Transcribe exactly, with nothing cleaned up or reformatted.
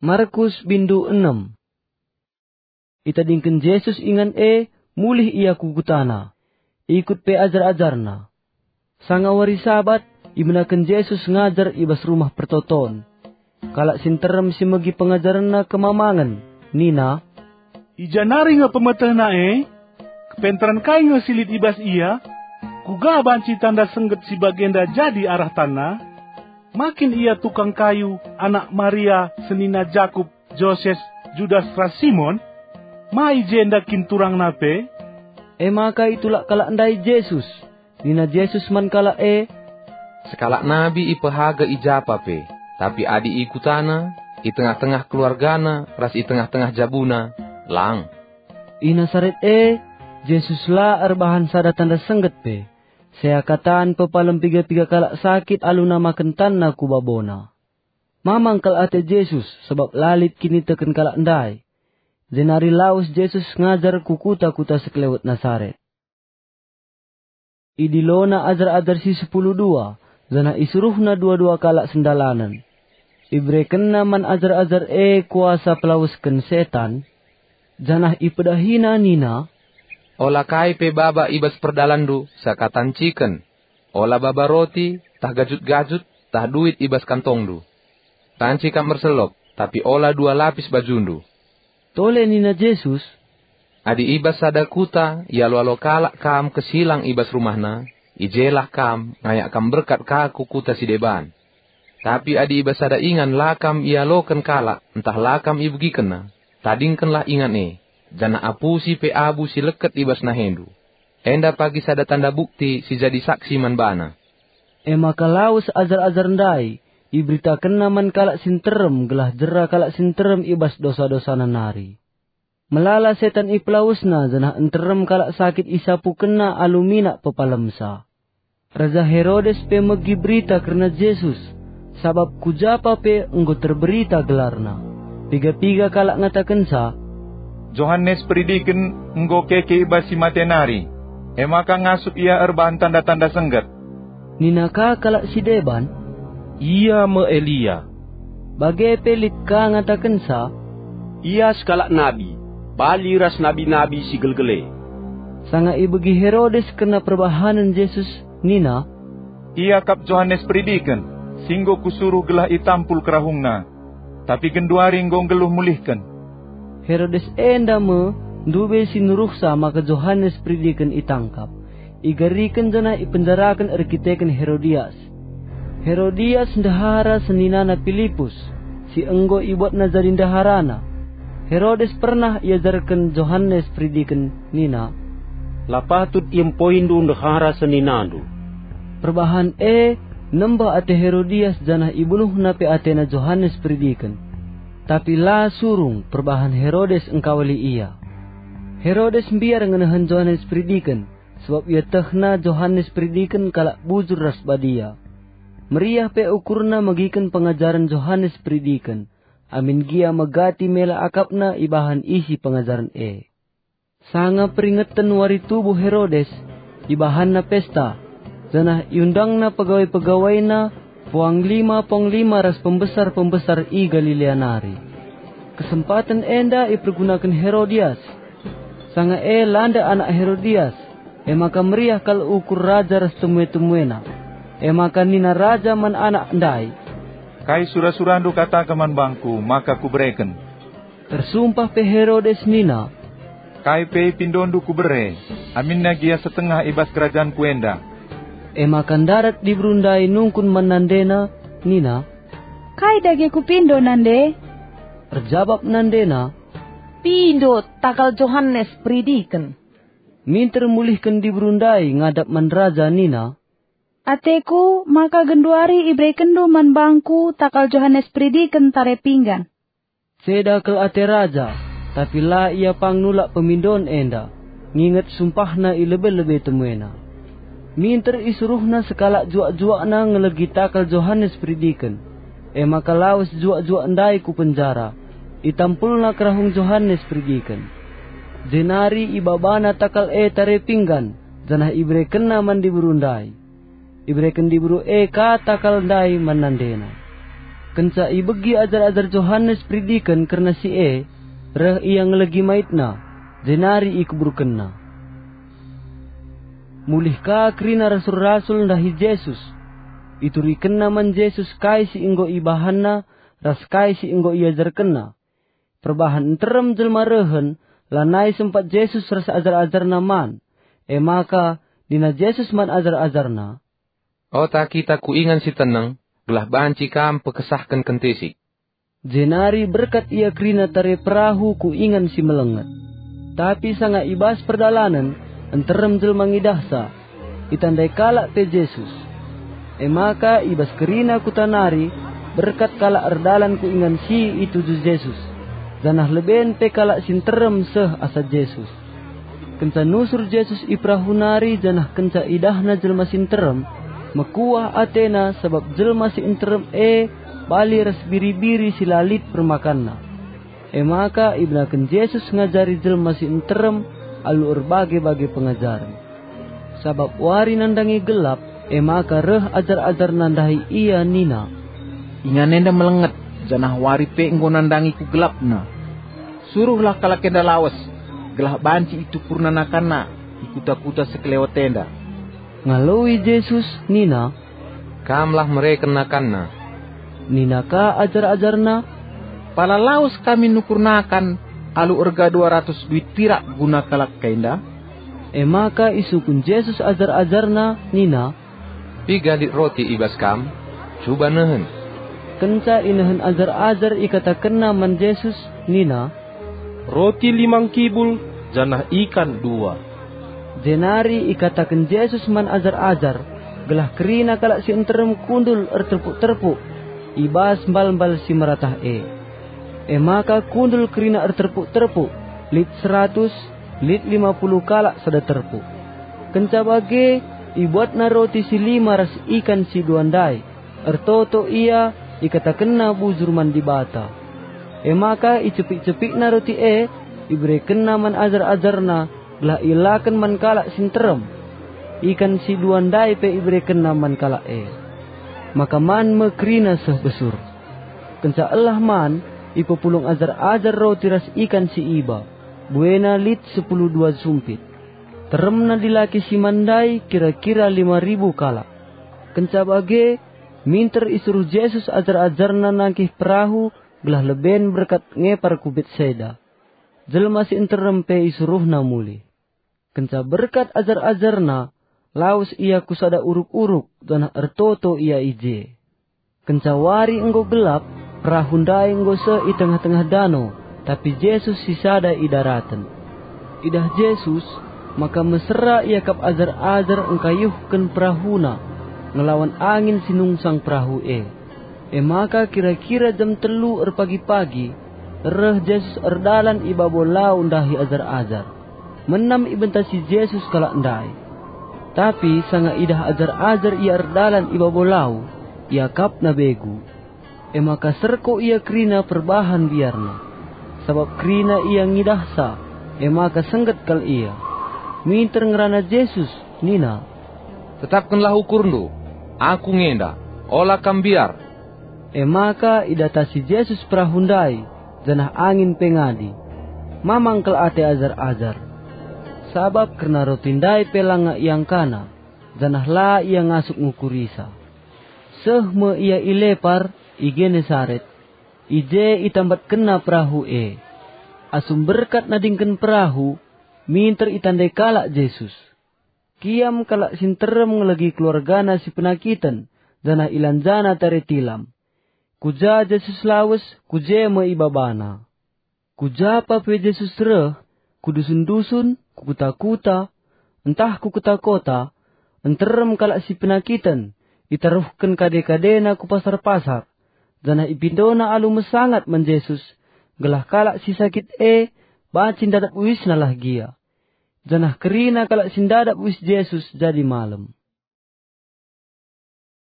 Markus bindu enem. Itadingken Jesus ingan e, mulih ia ku kutana. Ikut pe ajar-ajarNa. Sanga wari Sabat, ibenaken Jesus ngajar i bas Rumah Pertoton. Kalak si nterem si megi pengajarenNa kemamangen, nina, "I ja nari nge pemetehNa e? Kepentaren kai nge si lit i bas IA? Kuga banci tanda sengget si bagenda jadi arah tanNa? Ma kin IA tukang kayu, anak Maria, senina Jakup, Joses, Judas ras Simon? Ma i jenda kin turangna pe?" E maka itulak kalak ndai Jesus. Nina Jesus man kalak e, "Sekalak nabi ipehaga i japa pe, tapi adi i kutana, i tengah-tengah keluargana ras i tengah-tengah jabuna, lang." I Nasaret e, Jesus la erbahan sada tanda sengget pe. Seakatan pepalem piga-piga kalak sakit alu namaken tanna ku baboNa. Mamang kal ate Jesus sabap la lit kiniteken kalak ndai. Jenari lawes Jesus ngajar ku kuta-kuta sekelewet Nasaret. IdiloNa ajar-ajar si sepuluh dua, janah isuruhNa dua-dua kalak sendalanen. IberekenNa man ajar-ajar e kuasa pelawesken setan, janah ipedahiNa nina, "Ola kai pe baba i bas perdalanndu seakatan ciken. Ola baba roti, tah gajut-gajut, tah duit i bas kantongndu. Tanci kam erselop, tapi ola dua lapis bajundu." Tole nina Jesus, "Adi i bas sada kuta ialo-alo kalak kam kesilang i bas rumahna, i jelah kam ngayak kam berkat ka ku kuta si deban. Tapi adi i bas sada ingan la kam ialoken kalak ntah la kam ibegikenna, tadingkenlah ingan e, janah apusi pe abu si leket i bas nahendu. Enda pagi sada tanda bukti si jadi saksi man bana." E maka lawes ajar-ajar ndai, iberitakenna man kalak si nterem gelah jera kalak si nterem i bas dosa-dosana nari. Melala setan ipelawesna, janah nterem kalak sakit isapukenna alu minak pepalemsa. Raja Herodes pe megi berita kerna Jesus, sabap ku japa pe enggo terberita gelarna. Piga-piga kalak ngatakenca, "Johanes Peridiken enggo keke i bas si mate nari, e maka ngasup ia erbahan tanda-tanda sengget." Nina ka kalak si deban, "Ia me Elia." Bage pe lit ka ngatakenca, "Ia sekalak nabi, bali ras nabi-nabi si gelgel e." Sanga ibegi Herodes kerna perbahanen Jesus, nina, "Ia kap Johanes Peridiken, si enggo kusuruh gelah itampul kerahungna, tapi genduari enggo nggeluh mulihken." Herodes enda me ndube si nuruhsa maka Johanes Peridiken itangkap, igariken janah ipenjaraken erkiteken Herodias. Herodias ndehara seninana Pilipus, si enggo ibuatna jadi ndeharana. Herodes pernah iajarken Johanes Peridiken nina, "La patut iempoindu ndehara seninandu." Perbahan e nembeh ate Herodias janah ibunuhna pe atena Johanes Peridiken. Tapi la surung perbahan Herodes engkawali ia. Herodes mbiar ngenehen Johanes Peridiken, sabap ietehna Johanes Peridiken kalak bujur ras badia. Meriah pe ukurna megiken pengajaren Johanes Peridiken, amin gia megati mela akapna ibahan isi pengajaren e. Sanga peringeten wari tubuh Herodes, ibahanna pesta, janah iundangna pegawai-pegawaina, puanglima-puanglima ras pembesar-pembesar i Galilea nari. Kesempaten enda ipergunaken Herodias. Sanga e landa anak Herodias, e maka meriah kal ukur raja ras temue-temuena. E maka nina raja man anak ndai, "Kai sura-surandu kataken man bangku maka kubereken?" Ersumpah pe Herodes nina, "Kai pe ipindondu kubere, aminna gia setengah i bas kerajanku enda." E maka ndarat diberu ndai nungkun man nandena, nina, "Kai dage kupindo, nande?" Erjabap nandena, "Pindo takal Johanes Peridiken." Minter mulihken diberu ndai ngadap man raja nina, "Ateku maka genduari iberekenndu man bangku takal Johanes Peridiken tare pinggan." Ceda kal ate raja, tapi la ia pang nulak pemindon enda, nginget sumpahna i lebe-lebe temuena. Minter isuruhna sekalak juak-juakna ngelegi takal Johanes Peridiken. E maka lawes juak-juak ndai ku penjara, itampulna kerahung Johanes Peridiken. Jenari ibabana takal e tare pinggan, janah iberekenna man diberu ndai. Ibereken diberu e ka takal ndai man nandena. Kenca ibegi ajar-ajar Johanes Peridiken kerna si e, reh ia ngelegi maitna, jenari ikuburkenna. Mulih ka kerina rasul-rasul ndahi Jesus. Iturikenna man Jesus kai si enggo ibahanna ras kai si enggo iajarkenna. Perbahan nterem jelma rehen, lanai sempat Jesus ras ajar-ajarNa man. E maka nina Jesus man ajar-ajarNa, "Ota kita ku ingan si teneng, gelah banci kam pekesahken kentisik." Jenari berkat ia kerina tare perahu ku ingan si melenget. Tapi sanga i bas perdalanen, nterem jelma ngidahsa, itandai kalak pe Jesus. E maka i bas kerina kuta nari, berkat kalak erdalan ku ingan si ituju Jesus, janah leben pe kalak si nterem seh asa Jesus. Kenca nusur Jesus i perahu nari janah kenca idahna jelma si nterem, mekuah atena sabap jelma si nterem e bali ras biri-biri si la lit permakanna. E maka ibenaken Jesus ngajari jelma si nterem alu erbage-bage pengajaren. Sabap wari nandangi gelap, e maka reh ajar-ajarNa ndahi Ia nina, "Ingan enda melenget, janah wari pe enggo nandangi kugelapna. Suruhlah kalak enda lawes, gelah banci itupurna nakanna i kuta-kuta sekelewet enda." Ngaloi Jesus nina, "Kamlah mereken nakanna." Nina ka ajar-ajarNa, "Pala lawes kami nukur nakan alu erga dua ratus duit pirak guna kalak enda?" E maka isungkun Jesus ajar-ajarNa nina, "Piga lit roti i bas kam? Cuba nehen." Kenca inehen ajar-ajar ikatakenna man Jesus nina, "Roti lima ngkibul janah ikan dua." Jenari ikataken Jesus man ajar-ajar, gelah kerina kalak si nterem kundul erterpuk-terpuk i bas mbal-mbal si meratah e. E maka kundul kerina erterpuk-terpuk, lit seratus, lit lima puluh kalak sada terpuk. Kenca bage, ibuatna roti si lima ras ikan si dua ndai, ertoto ia, ikatakenna bujur man Dibata. E maka icepik-cepikna roti e, iberekenna man ajar-ajarNa, gelah ielaken man kalak si nterem. Ikan si dua ndai pe iberekenna man kalak e. Maka man me kerina seh besur. Kenca elah man, ipepulung ajar-ajar roti ras ikan si iba, buena lit sepuluh dua sumpit. Teremna dilaki si man ndai kira-kira lima ribu kalak. Kenca bage, minter isuruh Jesus ajar-ajarNa nangkih perahu gelah leben berkat ngepar ku Betsaida. Jelma si nterem pe isuruhNa mulih. Kenca berkat ajar-ajarNa, lawes ia ku sada uruk-uruk, janah ertoto ia i je. Kenca wari enggo gelap, perahu ndai enggo seh i tengah-tengah dano, tapi Jesus sisada i daraten. Idah Jesus, maka mesera iakap ajar-ajar engkayuhken perahuna ngelawan angin si nungsang perahu e. E maka kira-kira jam telu erpagi-pagi, reh Jesus erdalan i babo lau ndahi ajar-ajar. Menam ibentasi Jesus kalak ndai. Tapi sanga idah ajar-ajar ia erdalan i babo lau, iakapna begu. E maka serko ia kerina perbahan biarna. Sabap kerina ia ngidahsa, e maka sengget kal ia. Minter ngerana Jesus, nina, "Tetapkenlah ukurndu, Aku nge enda, ola kam mbiar." E maka idatasi Jesus perahu ndai, janah angin pe ngadi. Mamang kal ate ajar-ajar, sabap kerna roti ndai pe langa iangkana, janah la ia ngasup ngukurisa. Seh me ia i Lepar, i Genesaret. I je itambatkenna perahu e. Asum berkat nadingken perahu, minter itandai kalak Jesus. Kiam kalak si nterem ngelegi keluargana si penakiten, janah ilanjana tare tilam. Ku ja Jesus lawes, ku je me ibabana. Ku ja pa pe Jesus reh, ku dusun-dusun, ku kuta-kuta, ntah ku kota-kota, nterem kalak si penakiten, itaruhken kade-kadena ku pasar-pasar, janah ipindona alu mesangat man Jesus, gelah kalak si sakit e banci ndadap uisna lah gia. Janah kerina kalak si ndadap uis Jesus jadi malem.